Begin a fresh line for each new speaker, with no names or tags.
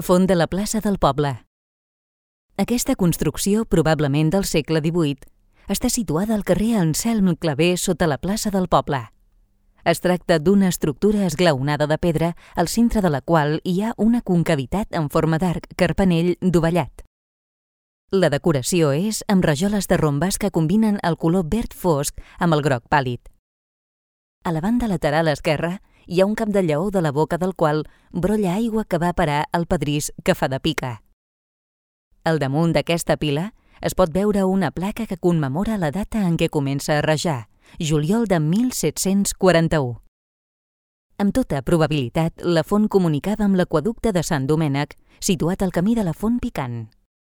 Font de la plaça del poble. Aquesta construcció, probablement del segle XVIII, està situada al carrer Anselm Clavé sota la plaça del poble. Es tracta d'una estructura esglaonada de pedra, al centre de la qual hi ha una concavitat en forma d'arc carpanell dovellat. La decoració és amb rajoles de rombes que combinen el color verd fosc amb el groc pàl·lid. A la banda lateral esquerra hi ha un cap de lleó de la boca del qual brolla aigua que va a parar al pedrís que fa de pica. Al damunt d'aquesta pila es pot veure una placa que commemora la data en què comença a rajar, juliol de 1741. Amb tota probabilitat, la font comunicava amb l'aqüeducte de Sant Domènec, situat al camí de la Font Picant.